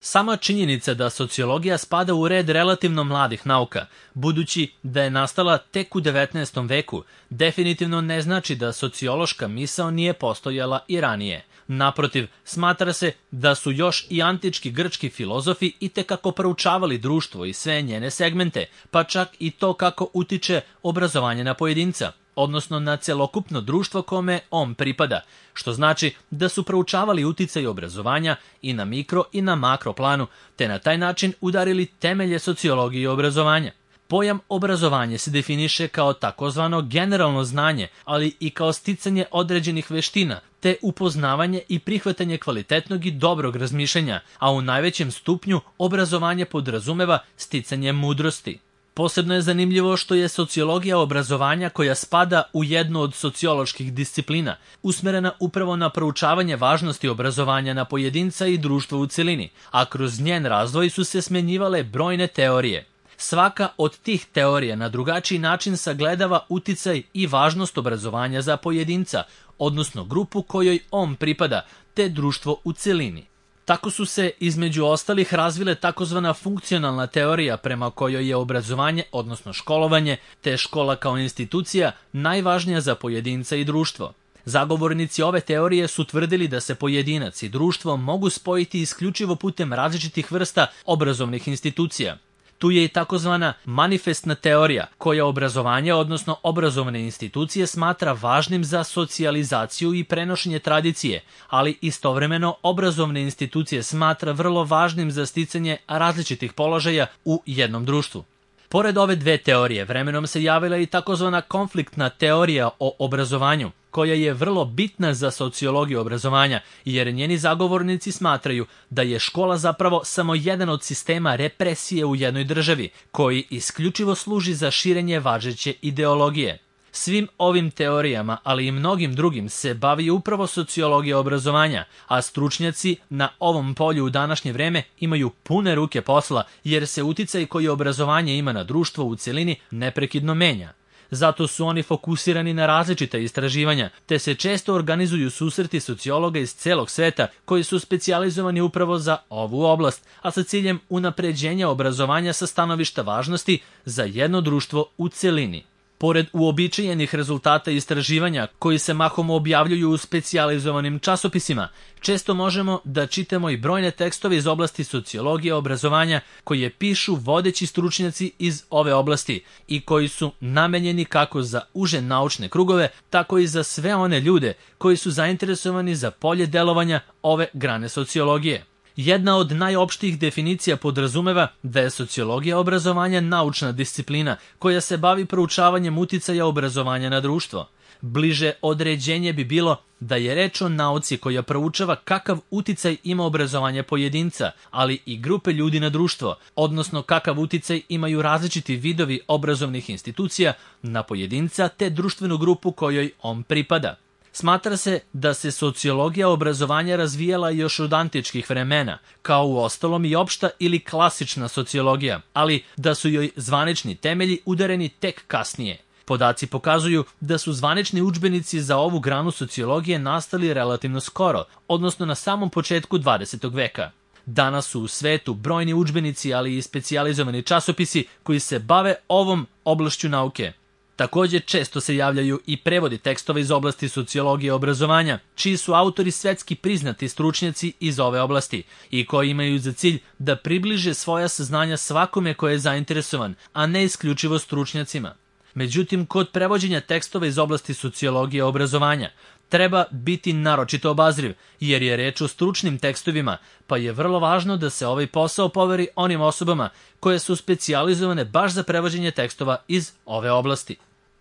Sama činjenica da sociologija spada u red relativno mladih nauka, budući da je nastala tek u 19. veku, definitivno ne znači da sociološka misao nije postojala i ranije. Naprotiv, smatra se da su još i antički grčki filozofi itekako proučavali društvo i sve njene segmente, pa čak i to kako utiče obrazovanje na pojedinca, odnosno na celokupno društvo kome on pripada, što znači da su proučavali uticaj obrazovanja i na mikro i na makro planu, te na taj način udarili temelje sociologije i obrazovanja. Pojam obrazovanje se definiše kao takozvano generalno znanje, ali i kao sticanje određenih veština, te upoznavanje i prihvatanje kvalitetnog i dobrog razmišljanja, a u najvećem stupnju obrazovanje podrazumeva sticanje mudrosti. Posebno je zanimljivo što je sociologija obrazovanja, koja spada u jednu od socioloških disciplina, usmerena upravo na proučavanje važnosti obrazovanja na pojedinca i društva u celini, a kroz njen razvoj su se smenjivale brojne teorije. Svaka od tih teorija na drugačiji način sagledava uticaj i važnost obrazovanja za pojedinca, odnosno grupu kojoj on pripada, te društvo u celini. Tako su se između ostalih razvile takozvana funkcionalna teorija prema kojoj je obrazovanje, odnosno školovanje, te škola kao institucija najvažnija za pojedinca i društvo. Zagovornici ove teorije su tvrdili da se pojedinac i društvo mogu spojiti isključivo putem različitih vrsta obrazovnih institucija. Tu je i takozvana manifestna teorija, koja obrazovanje, odnosno obrazovne institucije, smatra važnim za socijalizaciju i prenošenje tradicije, ali istovremeno obrazovne institucije smatra vrlo važnim za sticanje različitih položaja u jednom društvu. Pored ove dve teorije, vremenom se javila i takozvana konfliktna teorija o obrazovanju, koja je vrlo bitna za sociologiju obrazovanja, jer njeni zagovornici smatraju da je škola zapravo samo jedan od sistema represije u jednoj državi, koji isključivo služi za širenje važeće ideologije. Svim ovim teorijama, ali i mnogim drugim, se bavi upravo sociologija obrazovanja, a stručnjaci na ovom polju u današnje vreme imaju pune ruke posla, jer se uticaj koji obrazovanje ima na društvo u celini neprekidno menja. Zato su oni fokusirani na različita istraživanja, te se često organizuju susreti sociologa iz celog sveta koji su specijalizovani upravo za ovu oblast, a sa ciljem unapređenja obrazovanja sa stanovišta važnosti za jedno društvo u celini. Pored uobičajenih rezultata istraživanja koji se mahom objavljuju u specijalizovanim časopisima, često možemo da čitamo i brojne tekstove iz oblasti sociologije obrazovanja koje pišu vodeći stručnjaci iz ove oblasti i koji su namenjeni kako za uže naučne krugove, tako i za sve one ljude koji su zainteresovani za polje delovanja ove grane sociologije. Jedna od najopštijih definicija podrazumeva da je sociologija obrazovanja naučna disciplina koja se bavi proučavanjem uticaja obrazovanja na društvo. Bliže određenje bi bilo da je reč o nauci koja proučava kakav uticaj ima obrazovanje pojedinca, ali i grupe ljudi na društvo, odnosno kakav uticaj imaju različiti vidovi obrazovnih institucija na pojedinca te društvenu grupu kojoj on pripada. Smatra se da se sociologija obrazovanja razvijala još od antičkih vremena, kao u ostalom i opšta ili klasična sociologija, ali da su joj zvanični temelji udareni tek kasnije. Podaci pokazuju da su zvanični udžbenici za ovu granu sociologije nastali relativno skoro, odnosno na samom početku 20. veka. Danas su u svetu brojni udžbenici, ali i specijalizovani časopisi koji se bave ovom oblašću nauke. Također često se javljaju i prevodi tekstova iz oblasti sociologije obrazovanja, čiji su autori svetski priznati stručnjaci iz ove oblasti i koji imaju za cilj da približe svoja saznanja svakome ko je zainteresovan, a ne isključivo stručnjacima. Međutim, kod prevođenja tekstova iz oblasti sociologije obrazovanja treba biti naročito obazriv, jer je reč o stručnim tekstovima, pa je vrlo važno da se ovaj posao poveri onim osobama koje su specijalizovane baš za prevođenje tekstova iz ove oblasti.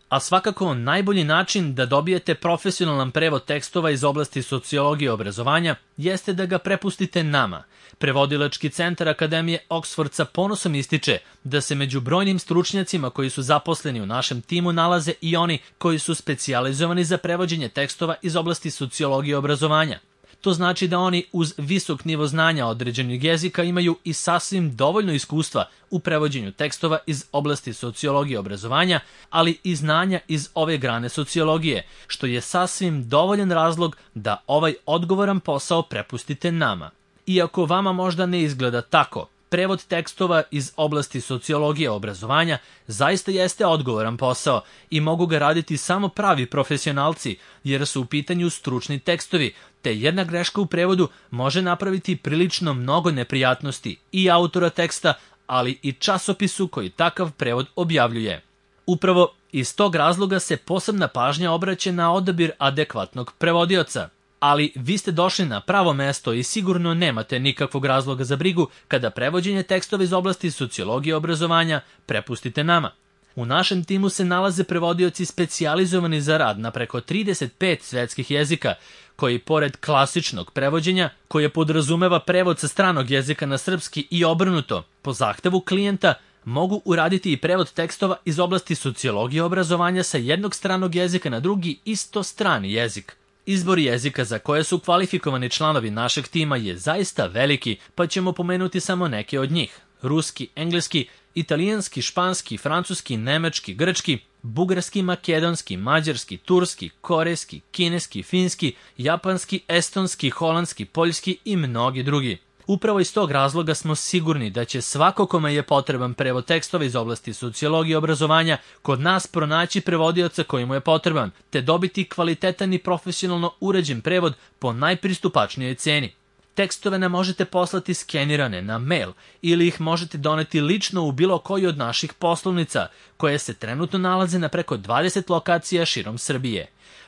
A svakako najbolji način da dobijete profesionalan prevod tekstova iz oblasti sociologije obrazovanja jeste da ga prepustite nama. Prevodilački centar Akademije Oxford sa ponosom ističe da se među brojnim stručnjacima koji su zaposleni u našem timu nalaze i oni koji su specijalizovani za prevođenje tekstova iz oblasti sociologije obrazovanja. To znači da oni uz visok nivo znanja određenog jezika imaju i sasvim dovoljno iskustva u prevođenju tekstova iz oblasti sociologije obrazovanja, ali i znanja iz ove grane sociologije, što je sasvim dovoljan razlog da ovaj odgovoran posao prepustite nama. Iako vama možda ne izgleda tako, prevod tekstova iz oblasti sociologije obrazovanja zaista jeste odgovoran posao i mogu ga raditi samo pravi profesionalci, jer su u pitanju stručni tekstovi, te jedna greška u prevodu može napraviti prilično mnogo neprijatnosti i autora teksta, ali i časopisu koji takav prevod objavljuje. Upravo iz tog razloga se posebna pažnja obraća na odabir adekvatnog prevodioca. Ali vi ste došli na pravo mesto i sigurno nemate nikakvog razloga za brigu kada prevođenje tekstova iz oblasti sociologije obrazovanja prepustite nama. U našem timu se nalaze prevodioci specijalizovani za rad na preko 35 svetskih jezika, koji pored klasičnog prevođenja, koje podrazumeva prevod sa stranog jezika na srpski i obrnuto, po zahtevu klijenta, mogu uraditi i prevod tekstova iz oblasti sociologije obrazovanja sa jednog stranog jezika na drugi isto strani jezik. Izbor jezika za koje su kvalifikovani članovi našeg tima je zaista veliki, pa ćemo pomenuti samo neke od njih. Ruski, engleski, italijanski, španski, francuski, nemački, grčki, bugarski, makedonski, mađarski, turski, korejski, kineski, finski, japanski, estonski, holandski, poljski i mnogi drugi. Upravo iz tog razloga smo sigurni da će svako kome je potreban prevod tekstova iz oblasti sociologije obrazovanja kod nas pronaći prevodioca koji mu je potreban, te dobiti kvalitetan i profesionalno uređen prevod po najpristupačnijoj ceni. Tekstove nam možete poslati skenirane na mail ili ih možete doneti lično u bilo koju od naših poslovnica, koje se trenutno nalaze na preko 20 lokacija širom Srbije.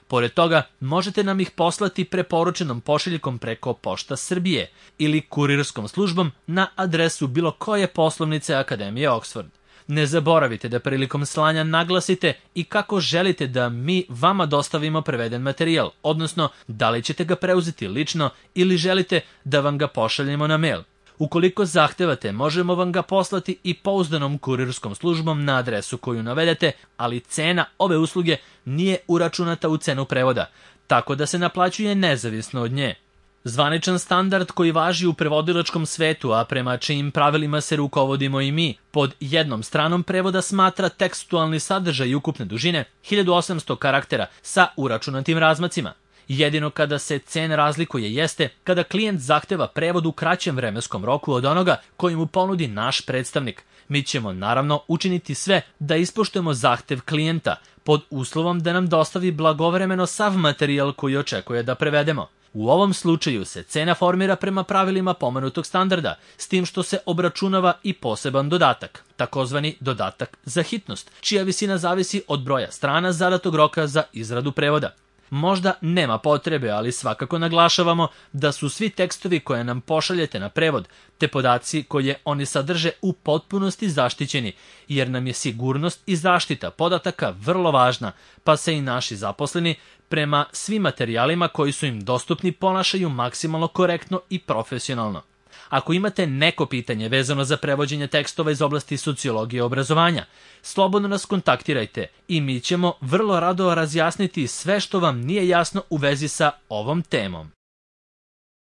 Pored toga, možete nam ih poslati preporučenom pošiljkom preko Pošta Srbije ili kurirskom službom na adresu bilo koje poslovnice Akademije Oxford. Ne zaboravite da prilikom slanja naglasite i kako želite da mi vama dostavimo preveden materijal, odnosno da li ćete ga preuzeti lično ili želite da vam ga pošaljemo na mail. Ukoliko zahtevate, možemo vam ga poslati i pouzdanom kurirskom službom na adresu koju navedete, ali cena ove usluge nije uračunata u cenu prevoda, tako da se naplaćuje nezavisno od nje. Zvaničan standard koji važi u prevodilačkom svetu, a prema čijim pravilima se rukovodimo i mi, pod jednom stranom prevoda smatra tekstualni sadržaj ukupne dužine 1800 karaktera sa uračunatim razmacima. Jedino kada se cena razlikuje jeste kada klijent zahteva prevod u kraćem vremenskom roku od onoga koji mu ponudi naš predstavnik. Mi ćemo naravno učiniti sve da ispoštujemo zahtev klijenta, pod uslovom da nam dostavi blagovremeno sav materijal koji očekuje da prevedemo. U ovom slučaju se cena formira prema pravilima pomenutog standarda, s tim što se obračunava i poseban dodatak, takozvani dodatak za hitnost, čija visina zavisi od broja strana zadatog roka za izradu prevoda. Možda nema potrebe, ali svakako naglašavamo da su svi tekstovi koje nam pošaljete na prevod, te podaci koje oni sadrže u potpunosti zaštićeni, jer nam je sigurnost i zaštita podataka vrlo važna, pa se i naši zaposleni prema svim materijalima koji su im dostupni ponašaju maksimalno korektno i profesionalno. Ako imate neko pitanje vezano za prevođenje tekstova iz oblasti sociologije obrazovanja, slobodno nas kontaktirajte i mi ćemo vrlo rado razjasniti sve što vam nije jasno u vezi sa ovom temom.